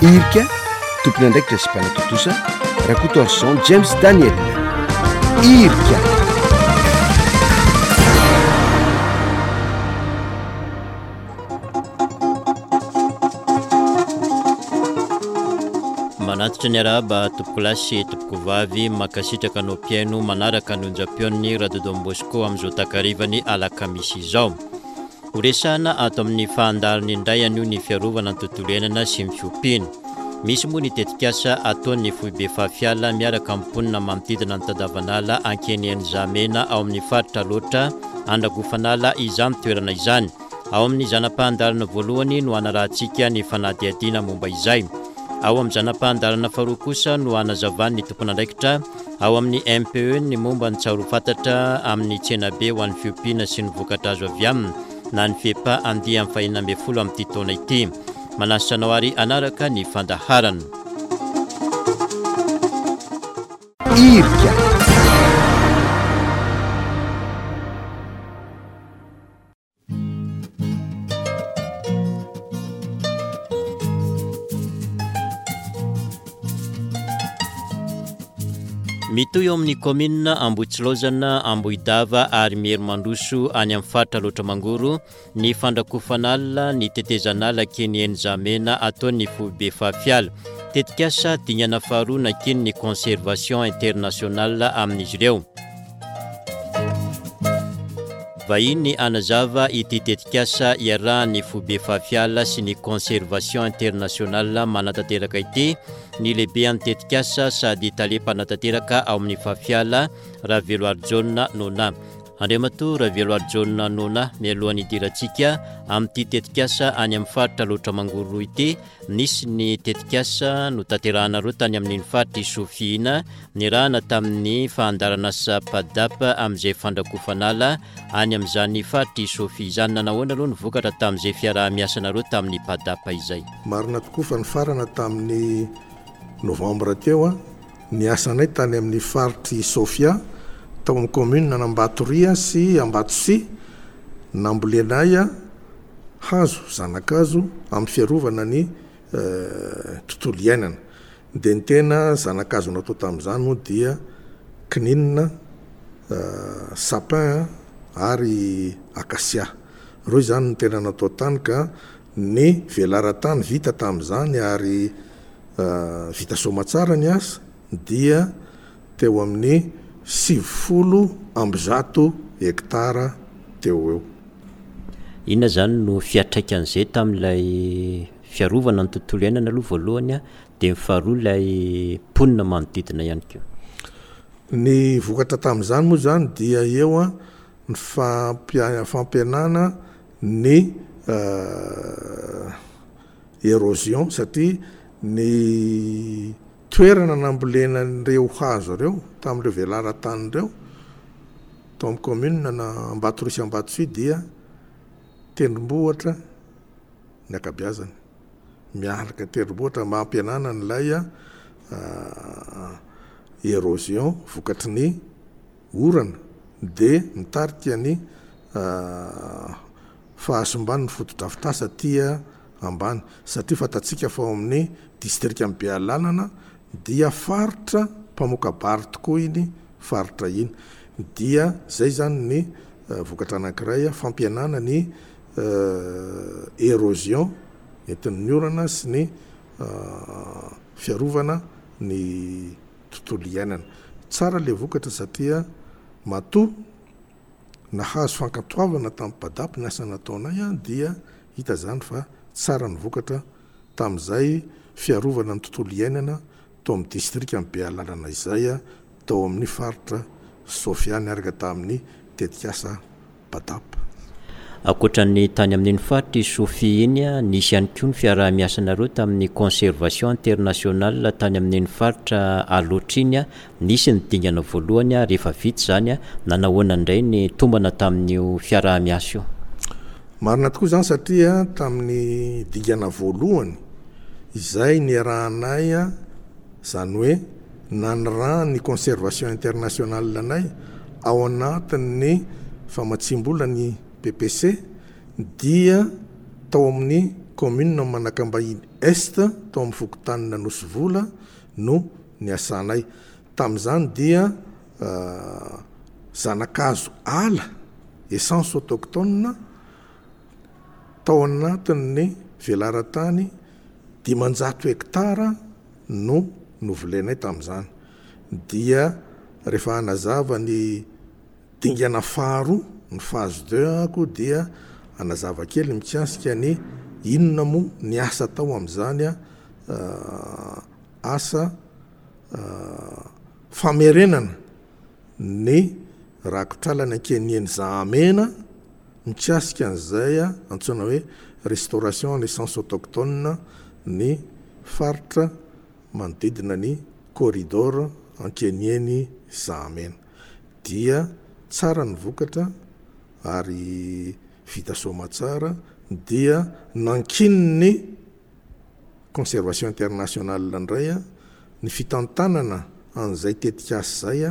Irika, tompon'andraikitra sy mpanatontosa, Rakotoarison James Daniel. Irika. Manatitra ny arahaba tompokolahy sy tompokovavy, mankasitraka anao mpihaino manaraka ny onjam-peon'ny Radio Don Bosco amin'izao takarivany alakamisy izao. Ho resahana ato amin'ny fahandaliny indray anio ny fiarovana ny tontolo iainana sy ny fiompiana. Misy moa ny tetikasa ataon'ny foibe Fafiala miaraka amin'ny mponina manodidina ny Tadavanala Ankeniheny-Zahamena ao amin'ny faritra Alaotra Andragofanala izany toerana izany. Ao amin'ny zana-pahandalana voalohany no hanarahantsika ny fanadihadiana momba izay. Ao amin'ny zana-pahandalana faharoa kosa no hanazavan'ny tompon'andraikitra ao amin'ny MPE ny momba ny tsaroa fantatra amin'ny tsenabe ho an'ny fiompiana sy ny vokatra azo avy aminy na ny FEPA andiany fahenina ambin'ny folo amin'ity taona ity. Manasa anao ary hanaraka ny fandaharana. Irika. Mitohy eo amin'ny kaominina Ambohitsilaozana, Ambohidava ary Merimandroso any amin'ny faritra Alaotra Mangoro ny fandrakofan'ala ny tetezan'ala Kenienizamena ataon'ny foibe Fafiala. Tetikasa dingana faharoa nakian'ny Conservation Internationale amin'izy ireo. Vahiny hanazava ity tetikasa iarahan'ny Foibe Fafiala sy ny Conservation Internationale manatanteraka ity ny lehibean'ny tetikasa sady tale mpanatanteraka ao amin'ny Fafiala, Raveloarijaona Nona. Andriamatoa Raveloarijaona Nona, mialohan'ny hidirantsika amin'ity tetikasa any amin'ny faritra Alaotra Mangoro ity, Nisy ny tetikasa notanterahanareo tany amin'iny faritr'i Sofia iny, nirahana tamin'ny fahandaran'asa PADAP amin'izay fandrakofan'ala any amin'izany faritr'i Sofia izany. Nanahoana aloha ny vokatra tamin'izay fiaraha-miasanareo tamin'ny PADAP izay? Marina tokoa fa nifarana tamin'ny novambra teo ny asanay tany amin'ny faritr'i Sofia, tao amin'ny commune an'Ambatoria sy Ambatosia, nambolenay hazo, zana-kazo amin'ny fiarovana ny tontolo iainana. Dia ny tena zana-kazo natao tamin'izany moa dia kininina, sapin ary acacia. Ireo izany no tena natao tany ka ny velaran-tany vita tamin'izany ary vita soamatsara ny asa dia teo amin'ny 190 hektara teo ho eo. Inona izany no fiantraikan'izay tamin'ilay fiarovana ny tontolo iainana aloha voalohany dia ny faharoa ilay mponina manodidina ihany koa? Ny vokatra tamin'izany moa izany dia eo ny fampihenana ny érosion satria ny toerana nambolena an'ireo hazo ireo tamin'ireo velaran-tany ireo tao amin'ny commune na Ambatorosy Ambatosoa dia tendrombohitra ny ankabeazany. Miaraka tendrombohitra mba hampihenana an'ilay érosion vokatry ny orana dia mitarika ny fahasimban'ny fotodrafitrasa aty ambany satria fantatsika fa ao amin'ny distrikan'i Bealanana dia faritra mpamoka-bary tokoa iny faritra iny. Dia zay zany ny vokatra anankiray, fampihenana ny érosion entin'ny orana sy ny fiarovana ny tontolo iainana. Tsara le vokatra satria matoa nahazo fankatoavana tamin'ny PADAP ny asa nataonay dia hita zany fa tsara ny vokatra tamin'izay fiarovana ny tontolo iainana tao amin'ny distrikan'i Bealanana izay tao amin'ny faritra Sofia niaraka tamin'ny tetikasa PADAP. Ankoatra ny tany amin'iny faritr'i Sofia iny, nisy ihany koa ny fiaraha-miasanareo tamin'ny Conservation Internationale tany amin'iny faritra Alaotra iny. Nisy ny dingana voalohany, rehefa vita izany, nanahoana indray ny tombana tamin'io fiaraha-miasa io? Marina tokoa izany satria tamin'ny dingana voalohany izay niarahanay, izany hoe nanirahan'ny Conservation Internationale anay ao anatin'ny famatsiam-bola ny PPC dia tao amin'ny. kaominina Manakambahiny Est tao amin'ny fokontanin'Anosivola no niasanay. Tamin'izany dia zana-kazo ala, essence autochtone, tao anatin'ny velaran-tany 500 hektara no novolenay tamin'izany. Dia rehefa hanazava ny dingana faharoa, ny phase deux ako dia hanazava kely mikasika ny inona moa ny asa atao amin'izany asa famerenana ny rakotr'ala Ankianian'i Zahamena mikasika an'izay antsoina hoe restauration en essence autochtone ny faritra manodidina ny corridor Ankianian'i Zahamena. Dia tsara ny vokatra ary vita soamatsara dia nankinin'ny Conservation Internationale indray ny fitantanana an'izay tetikasa izay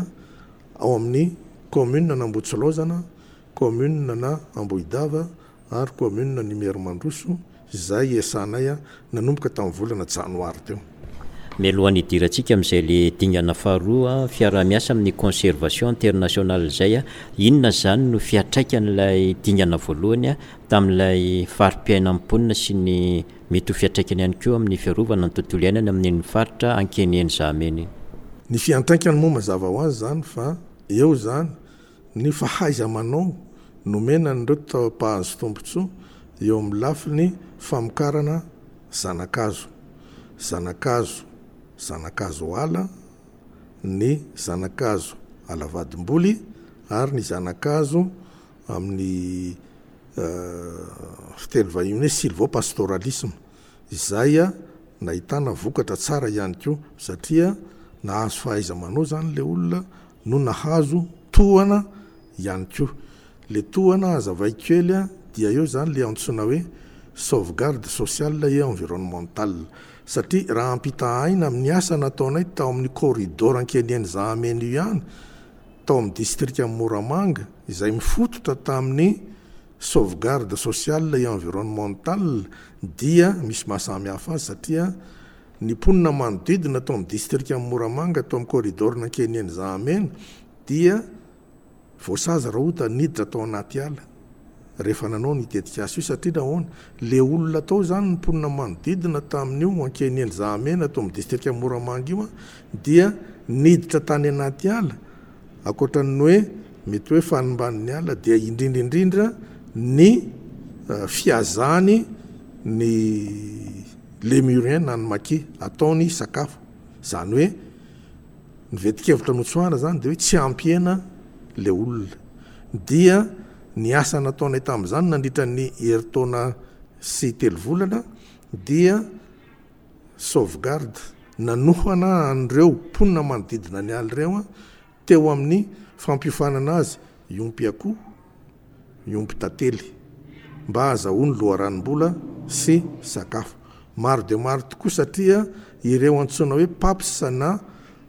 ao amin'ny Commune an'Ambohitsilaozana, Commune na Ambohidava ary Commune an'Imerimandroso izay iasanay nanomboka tamin'ny volana janoary teo. Mialohan'ny hidirantsika amin'izay le dingana faharoa, fiaraha-miasa amin'ny Conservation Internationale izay, inona izany no fiantraikan'ilay dingana voalohany tamin'ilay fari-piainan'ny mponina sy ny mety ho fiantraikany ihany koa amin'ny fiarovana ny tontolo iainana amin'iny faritra Ankeniheny Zahamena iny. Ny fiantraikany moa mazava ho azy izany fa eo izany ny fahaiza-manao nomena an'ireo mpahazo tombontsoa eo amin'ny lafiny famokarana zana-kazo, zana-kazo, zana-kazo ala, ny zana-kazo ala vadimboly ary ny zana-kazo amin'ny fiteny vahiny hoe sylvopastoralisme, izay nahitana vokatra tsara ihany koa satria nahazo fahaiza-manao izany ilay olona no nahazo tohana ihany koa. Ilay tohana hazavaiko kely dia eo izany ilay antsoina hoe sauvegarde sociale et environnementale satria raha ampitahaina amin'ny asa nataonay tao amin'ny corridor Ankeniheny Zahamena io ihany tao amin'ny distrikan'i Moramanga izay mifototra tamin'ny sauvegarde sociale et environnementale dia misy maha samy hafa azy satria ny mponina manodidina tao amin'ny distrikan'i Moramanga tao amin'ny corridor-n'Ankeniheny Zahamena dia voasazy Rahota niditra tao anaty ala rehefa nanao ny tetikasa io satria nahoana? Le olona tao izany ny mponina manodidina tamin'io Ankeniheny Zahamena tao amin'ny distrikan'i Moramanga io dia niditra tany anaty ala ankoatra ny hoe mety hoe fanimban'ny ala dia indrindra indrindra ny fihazany ny lémurien na ny maki ataony sakafo izany hoe ny vetin-kevitra notsoahana izany dia hoe tsy hampihena le olona dia ny asa nataonay tamin'izany nandritra ny herintaona sy telo volana dia sauvegarde nanohana an'ireo mponina manodidina ny ala ireo teo amin'ny fampiofanana azy hiompy akoho, hiompy tantely mba hahazahoany loharanom-bola sy sakafo. Maro dia maro tokoa satria ireo antsoina hoe PAPS na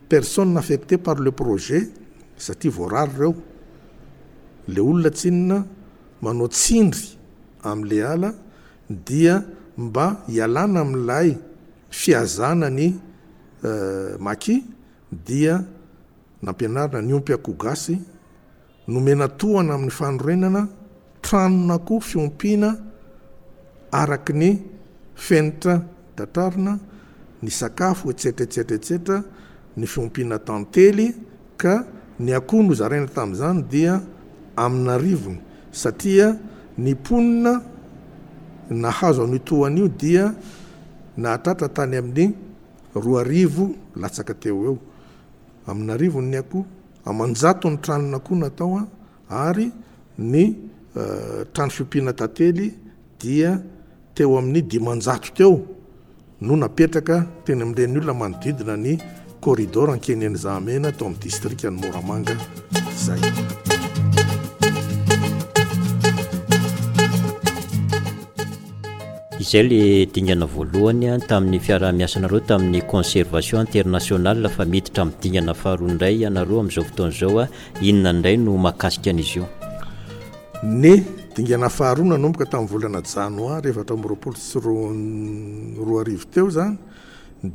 personnes affectées par le projet satria voarary ireo, le olona tsinona manao tsindry amin'le ala dia mba hialana amin'ilay fihazana ny maki dia nampianarina niompy akoho gasy, nomena tohana amin'ny fanorenana tranon'akoho fiompiana araka ny fenitra tratrarina, ny sakafo etsetra etsetra etsetra, ny fiompiana tantely ka ny akoho nozaraina tamin'izany dia amin'arivony satria ny mponina nahazo an'io tohana io dia nahatratra tany amin'ny 2000 latsaka teo ho eo. Amin'arivony ny akoho, aman-jatony tranon'akoho natao ary ny trano fiompiana tantely dia teo amin'ny 500 teo no napetraka teny amin'ireny olona manodidina ny corridor Ankeniheny Zahamena tao amin'ny distrikan'i Moramanga izay. Izay le dingana voalohany tamin'ny fiaraha-miasanareo tamin'ny Conservation Internationale fa miditra amin'ny dingana faharoa indray ianareo amin'izao fotoana izao, inona indray no mahakasika an'izy io? Ny. Dingana faharoa nanomboka tamin'ny volana janoary 2024 teo izany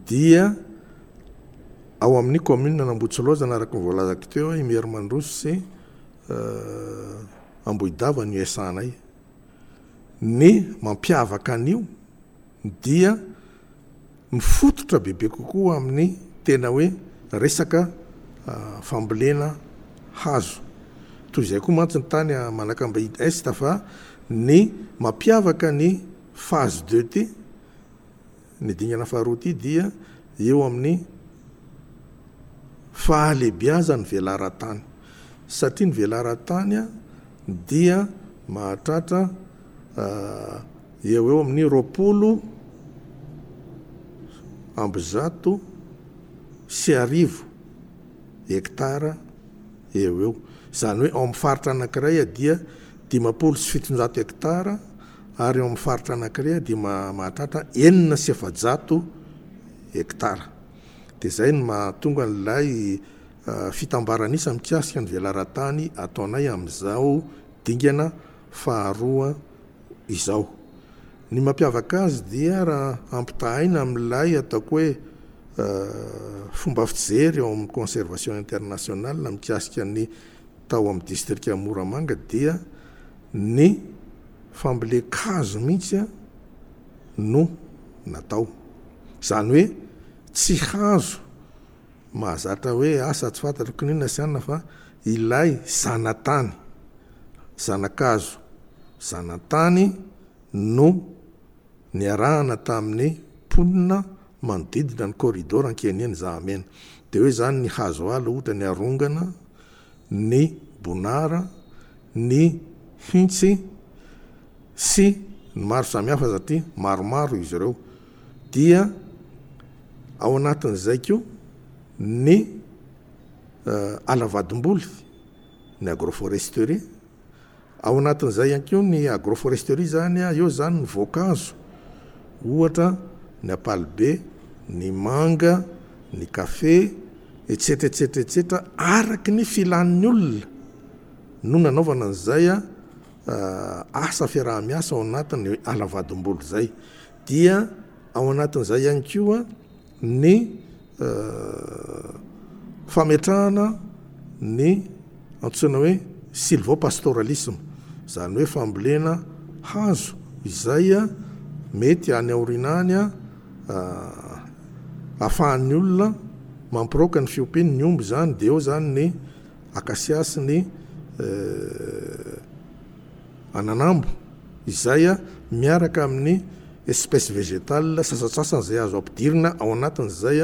dia ao amin'ny commune an'Ambohitsilaozana araka ny voalazako teo, Imerimandroso sy Ambohidava no iasanay. Ny mampiavaka an'io dia mifototra bebe kokoa amin'ny tena hoe resaka fambolena hazo. Toy izay koa mantsy ny tany Manakambahiny Est fa ny mampiavaka ny phase deux ity, ny dingana faharoa ity dia eo amin'ny fahalebiazan'ny velaran-tany. Satria ny velaran-tany dia mahatratra eo ho eo amin'ny 1120 hektara eo ho eo. Izany hoe ao amin'ny faritra anankiray dia 750 hektara ary ao amin'ny faritra anankiray dia mahatratra 406 hektara. Dia izay no mahatonga an'ilay fitambaran'isa mikasika ny velaran-tany ataonay amin'izao dingana faharoa izao. Ny mampiavaka azy dia raha ampitahaina amin'ilay ataoko hoe fomba fijery ao amin'ny conservation internationale mikasika ny tao amin'ny distrika Moramanga dia ny fambolen-kazo mihitsy no natao. Izany hoe tsy hazo mahazatra hoe asa tsy fantatro kininona sy anona fa ilay zanatany, zanakazo zanatany no niarahana tamin'ny mponina manodidina ny corridor Ankianina Zahamena. Dia hoe izany ny hazo ala ohatra ny arongana, ny bonara, ny hintsy sy ny maro samihafa satria maromaro izy ireo. Dia ao anatin'izay koa ny ala vadimboly, ny agroforesterie. Ao anatin'izay ihany koa ny agroforesterie izany, eo izany ny voankazo, ohatra ny ampalibe, ny manga, ny kafe, etsetra etsetra etsetra, araky ny filan'ny olona no nanaovana an'izay asa fiaraha-miasa ao anatin'ny ala vadimboly izay. Dia ao anatin'izay ihany koa ny fametrahana ny antsoina hoe sylvopastoralisme, izany hoe fambolena hazo izay mety any aoriana any ahafahan'ny olona mampiraoka ny fiompiany ny omby izany, dia eo izany ny acacia sy ny ananambo izay miaraka amin'ny espèce végétale sasantsasany izay azo ampidirina ao anatin'izay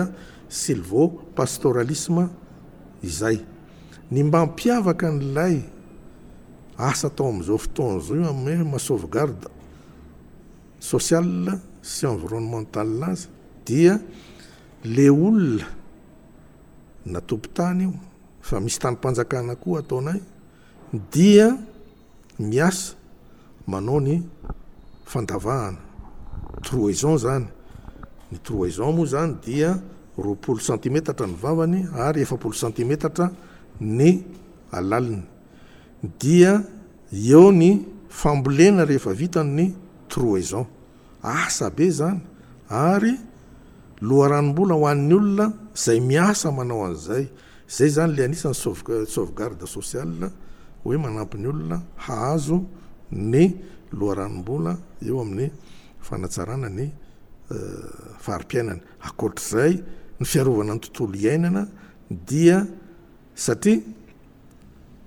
sylvopastoralisme izay. Ny mba hampiavaka an'ilay asa atao amin'izao fotoana izao io amin'ny maha sauvegarde sociale sy environnementale azy dia le olona na tompon-tany io fa misy tanim-panjakana koa ataonay dia miasa manao ny fandavahana, trouaison zany, ny trouaison moa zany dia 20 santimetatra ny vavany ary 40 santimetatra ny alaliny, dia eo ny fambolena rehefa vita ny trouaison. Asa be izany ary loharanom-bola ho an'ny olona izay miasa manao an'izay. Izay izany ilay anisan'ny sauvegarde sociale hoe manampy ny olona hahazo ny loharanom-bola eo amin'ny fanatsarana ny fari-piainany. Ankoatr'izay, ny fiarovana ny tontolo iainana dia satria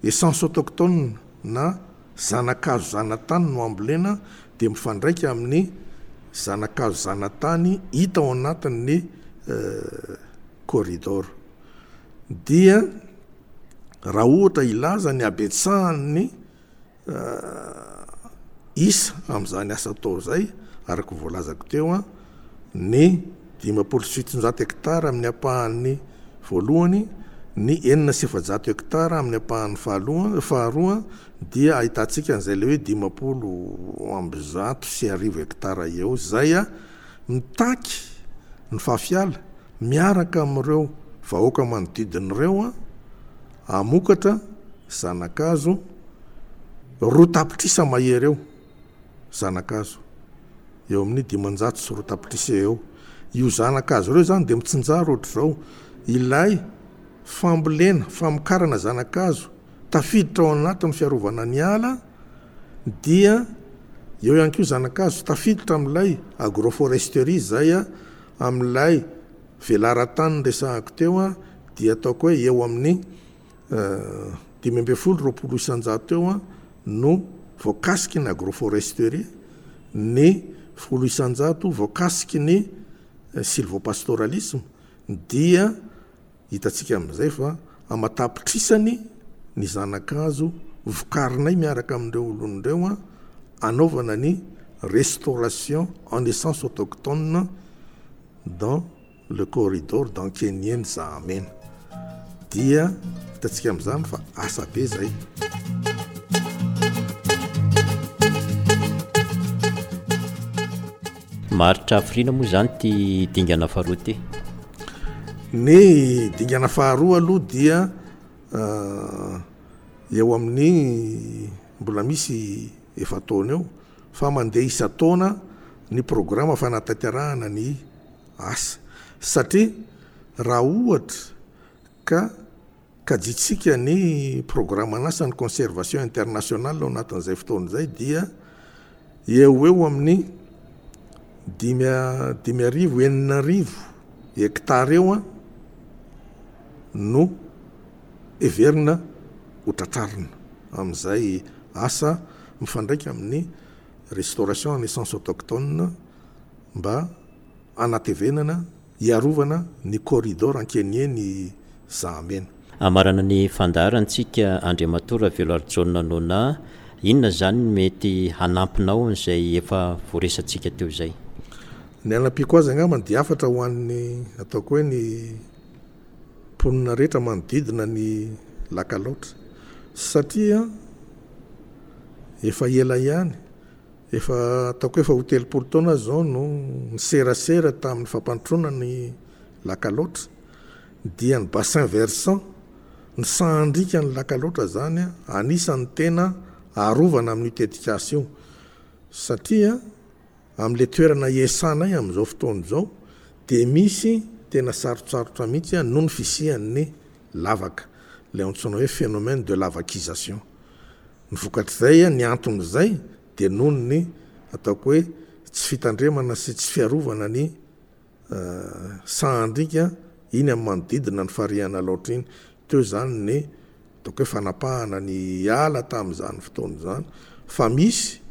Essence autochtone na zana-kazo zanatany no ambolena dia mifandraika amin'ny zana-kazo zanatany hita ao anatin'ny corridor. Dia raha ohatra hilaza ny habetsahan'ny Isa amin'izany asa atao izay, araka ny voalazako teo, ny 750 hektara amin'ny ampahany voalohany, ny 406 hektara amin'ny ampahany faharoa dia ahitantsika an'izay ilay hoe 1150 hektara eo izay mitaky ny fafiala miaraka amin'ireo vahoaka manodidina ireo hamokatra zana-kazo. 2 tapitrisa mahery eo zanakazo, eo amin'ny 250 tapitrisa eo. Io zanakazo ireo zany dia mitsinjara ohatr'izao: ilay fambolena, famokarana zanakazo tafiditra ao anatin'ny fiarovana ny ala, dia eo ihany koa zanakazo tafiditra amin'ilay agroforesterie zay amin'ilay velaran-tany resahako teo, dia ataoko hoe eo amin'ny 15, 20% eo no voakasiky ny agroforesterie, ny 10% voakasiky ny sylvopastoralisme. Dia hitantsika amin'izay fa amatapitrisany ny zanakazo vokarinay miaraka amin'ireo olon'ireo anaovana ny restauration en essence autochtone dans le corridor d'Ankeniheny Zahamena. Dia hitantsika amin'izany fa asa be zay. Maharitra hafiriana moa izany ity dingana faharoa ity? Ny dingana faharoa aloha dia eo amin'ny mbola misy efa-taona eo fa mandeha isan-taona ny programa fanatanterahana ny asa, satria raha ohatra ka kajintsika ny programan'asan'ny Conservation Internationale ao anatin'izay fotoana izay dia eo ho eo amin'ny dimy 5000, 6000 hectare eo no heverina ho tratrarina amin'izay asa mifandraika amin'ny restauration en essence autochtone mba hanatevenana, hiarovana ny corridor Ankeniheny Zahamena. Hamarana ny fandaharantsika Andriamatoa Raveloarijaona Nona, inona izany no mety hanampinao an'izay efa voaresatsika teo izay? Ny hanampiako azy angambany dia hafatra ho an'ny ataoko hoe ny mponina rehetra manodidina ny lac Alaotra satria efa ela ihany, efa ataoko hoe efa ho 30 taona aho izao no niserasera tamin'ny fampandrosoana ny lac Alaotra, dia ny bassin versant, ny sahandriaka ny lac Alaotra izany anisan'ny tena arovana amin'io tetikasa io satria Amin'ilay toerana iasanay amin'izao fotoana izao dia misy tena sarotsarotra mihitsy noho ny fisian'ny lavaka, ilay antsoina hoe phénomène de lavakisation. Ny vokatr'izay, ny anton'izay dia noho ny ataoko hoe tsy fitandremana sy tsy fiarovana ny sahandriaka iny amin'ny manodidina ny farihan'Alaotra iny. Teo izany ny ataoko hoe fanapahana ny ala tamin'izany fotoana izany fa misy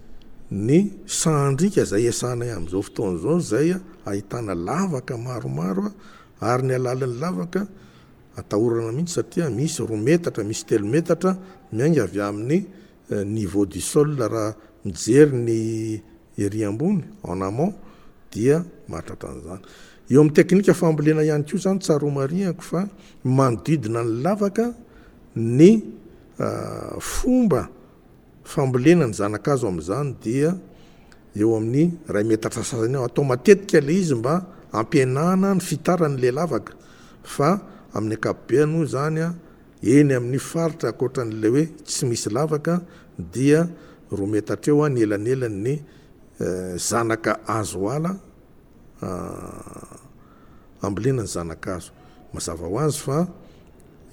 ny sahandriaka izay iasanay amin'izao fotoana izao izay ahitana lavaka maromaro ary ny halalin'ny lavaka atahorana mihitsy satria misy 2 metatra, misy 3 metatra miainga avy amin'ny niveau du sol raha mijery ny ery ambony, en amont, dia mahatratra an'izany. Eo amin'ny teknika fambolena ihany koa izany tsara homarihako fa manodidina ny lavaka ny fomba fambolena ny zana-kazo amin'izany dia eo amin'ny iray metatra sasany eo. Atao matetika ilay izy mba hampihenana ny fitaran'ilay lavaka fa amin'ny ankapobeny moa izany eny amin'ny faritra ankoatran'ilay hoe tsy misy lavaka dia 2 metatra eo ny elanelan'ny zanaka hazo ala ambolena ny zana-kazo. Mazava ho azy fa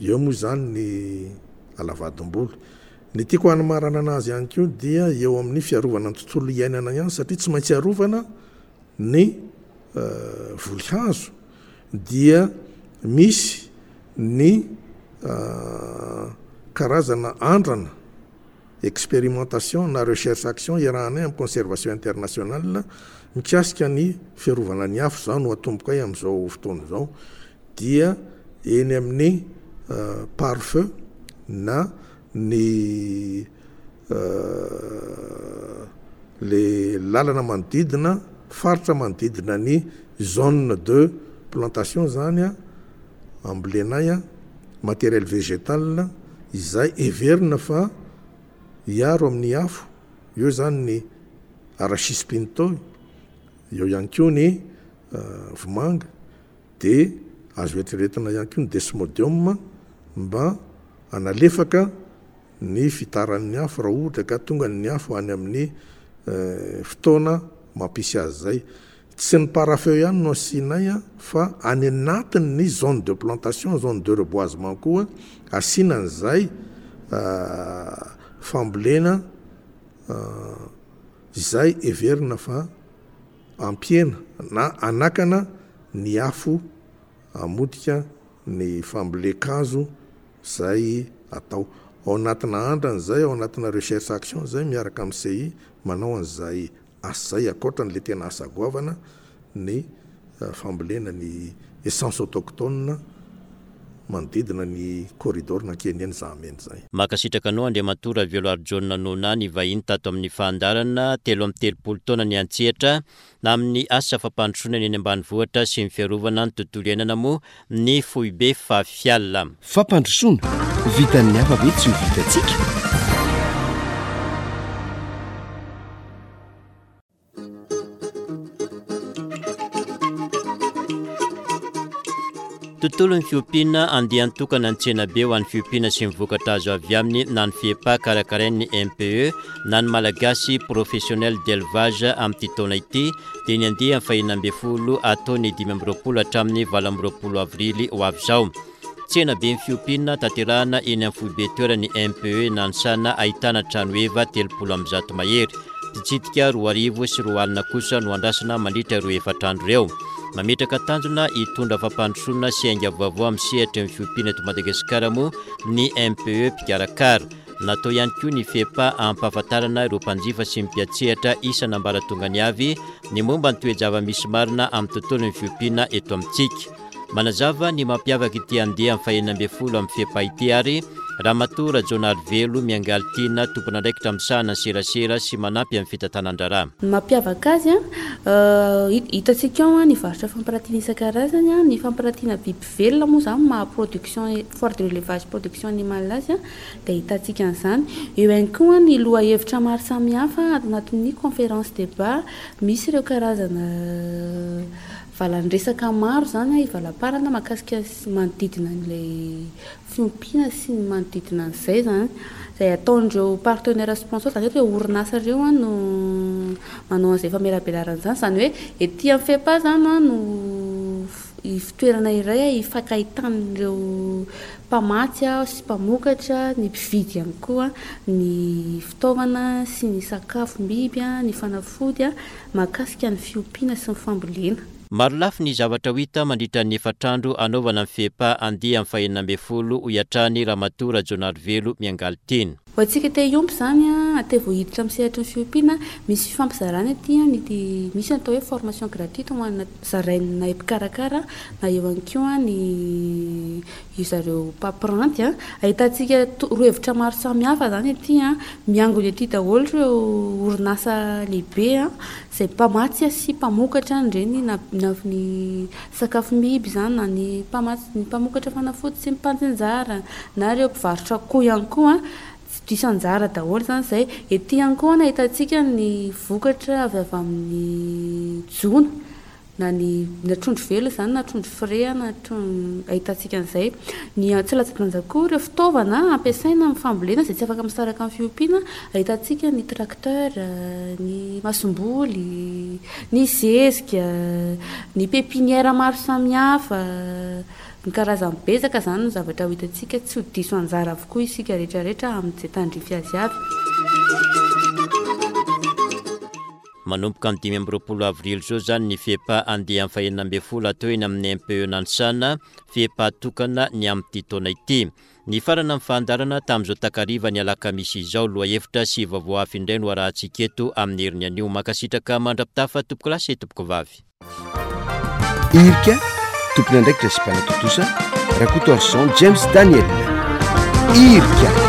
eo moa izany ny alavadimboly. Ny tiako hanomaranana azy ihany koa dia eo amin'ny fiarovana ny tontolo iainana ihany satria tsy maintsy arovana ny voly hazo dia misy ny karazana andrana, expérimentation na recherche action iarahanay amin'ny Conservation Internationale mikasika ny fiarovana ny afo, izao no atombokay amin'izao fotoana izao, dia eny amin'ny pare-feu na ny le lalana manodidina, faritra manodidina ny zone de plantation izany ambolenay matériel végétal izay heverina fa hiaro amin'ny afo, eo izany ny arachis pinto, eo ihany koa ny vomanga, dia azo eritreretina ihany koa ny desmodium mba hanalefaka. ny fitaran'ny afo raha ohatra ka tonga ny afo any amin'ny fotoana mampisy azy izay. Tsy ny parafeu ihany no asianay fa any anatin'ny zone de plantation, zone de reboisement koa asiana an'izay fambolena izay heverina fa hampihena na hanakana ny afo hamotika ny fambolen-kazo izay atao. Ao anatina andrana izay, ao anatina recherche action izay miaraka amin'ny CI manao an'izay asa izay ankoatra an'ilay tena asa goavana ny fambolena ny essence autochtone manodidina ny corridor nankeny eny Zahamena izay. Mankasitraka anao Andriamatoa Raveloarijaona Nona nivahiny tato amin'ny fandaharana 33 taona niantsehatra amin'ny asa fampandrosoana ny eny ambanivohitra sy ny fiarovana ny tontolo iainana moa ny foibe Fafial. Fampandrosoana, vitan'ny hafa ve tsy ho vitantsika? Tontolon'ny fiompiana, andian-tokana ny tsenabe ho an'ny fiompiana sy ny vokatra azo avy aminy na ny FEPA karakarain'ny MPE na ny Malagasy Professionnel d'Elevage amin'ity taona ity dia ny andiany fahenina ambin'ny folo atao ny 25 hatramin'ny 28 avrily ho avy izao. Tsena be ny fiompiana tanterahana eny amin'ny foibe toeran'ny MPE Nanisana ahitana trano heva 130 mahery. Mpitsidika 2002 kosa no andrasana mandritra ireo efatra andro ireo. Mametraka tanjona hitondra fampandrosoana sy ainga vaovao amin'ny sehatry ny fiompiana eto Madagasikara moa ny MPE mpikarakara. Natao ihany koa ny FEPA hampahafantarana ireo mpanjifa sy ny mpiantsehatra isan'ambaratongany avy ny momba ny toe-java-misy marina amin'ny tontolon'ny fiompiana eto amintsika. Manazava ny mampiavaka ity andiany fahenina ambin'ny folo amin'ny FEPA ity ary Ramatoa Rajaonarivelo Miangaly Tiana, tompon'andraikitra misahana ny serasera sy manampy amin'ny fitantanan-draharaha. Ny mampiavaka azy, hitantsika ao ny varotra fampiratiana isan-karazany, ny fampiratiana biby velona moa izany maha production, foire de l'élevage production animale azy dia ahitantsika an'izany. Eo ihany koa ny lohahevitra maro samihafa anatin'ny conférence débat, misy ireo karazana valan-dresaka maro izany hivalamparana mahakasika sy manodidina an'ilay fiompiana sy ny manodidina an'izay izany, izay ataon'ireo partenaires sponsors, izany hoe ireo orinasa ireo no manao an'izay famelabelarana izany, izany hoe ety amin'ny FEPA izany no ivon-toerana iray hifankahitan'ireo mpamatsy sy mpamokatra, ny mpividy ihany koa ny fitaovana sy ny sakafom-biby, ny fanafody mahakasika ny fiompiana sy ny fambolena. Marolafy ny zavatra ho hita mandritra ny efatra andro hanaovana ny FEPA andiany fahenina ambin'ny folo, hoy hatrany Ramatoa Rajaonarivelo Miangaly Tiana. Ho antsika te hiompy izany, te vao hiditra amin'ny sehatry ny fiompiana, misy fifampizarana ety, ny misy ny atao hoe formation gratuite ho an'ny zarainay mpikarakara na eo ihany koa ny io zareo mpampiranty. Ahitantsika torohevitra maro samihafa izany ety, miangona ety daholo ireo orinasa lehibe izay mpamatsy sy mpamokatra an'ireny na na ny sakafom-biby izany na ny mpamatsy ny mpamokatra fanafody sy ny mpantsinjara na ireo mpivarotra akoho ihany koa tsy diso anjara daholo izany izay. Ety ihany koa no ahitantsika ny vokatra avy avy amin'ny jono na ny na trondro velona izany na trondro frais na ahitantsika an'izay. Ny tsy latsa-danja koa ireo fitaovana ampiasaina amin'ny fambolena izay tsy afaka misaraka amin'ny fiompiana, ahitantsika ny tracteur, ny masomboly, ny zezika, ny pépinière maro samihafa, ny karazany betsaka izany no zavatra ho hitantsika, tsy ho diso anjara avokoa isika rehetra rehetra amin'izay tandrify azy avy. Manomboka amin'ny 25 avrily izao izany ny FEPA andiany fahenina ambin'ny folo atao eny amin'ny MPE Nanisana, FEPA tokana ny amin'ity taona ity. Nifarana ny fandaharana tamin'izao takariva ny alakamisy izao. Lohahevitra sy vaovao hafa indray no arahantsika eto amin'ny heriny anio. Mankasitraka mandra-pitafa tompokolahy sy tompokovavy. Irika, tompon'andraikitra sy mpanatontosa, Rakotoarison James Daniel. Irika.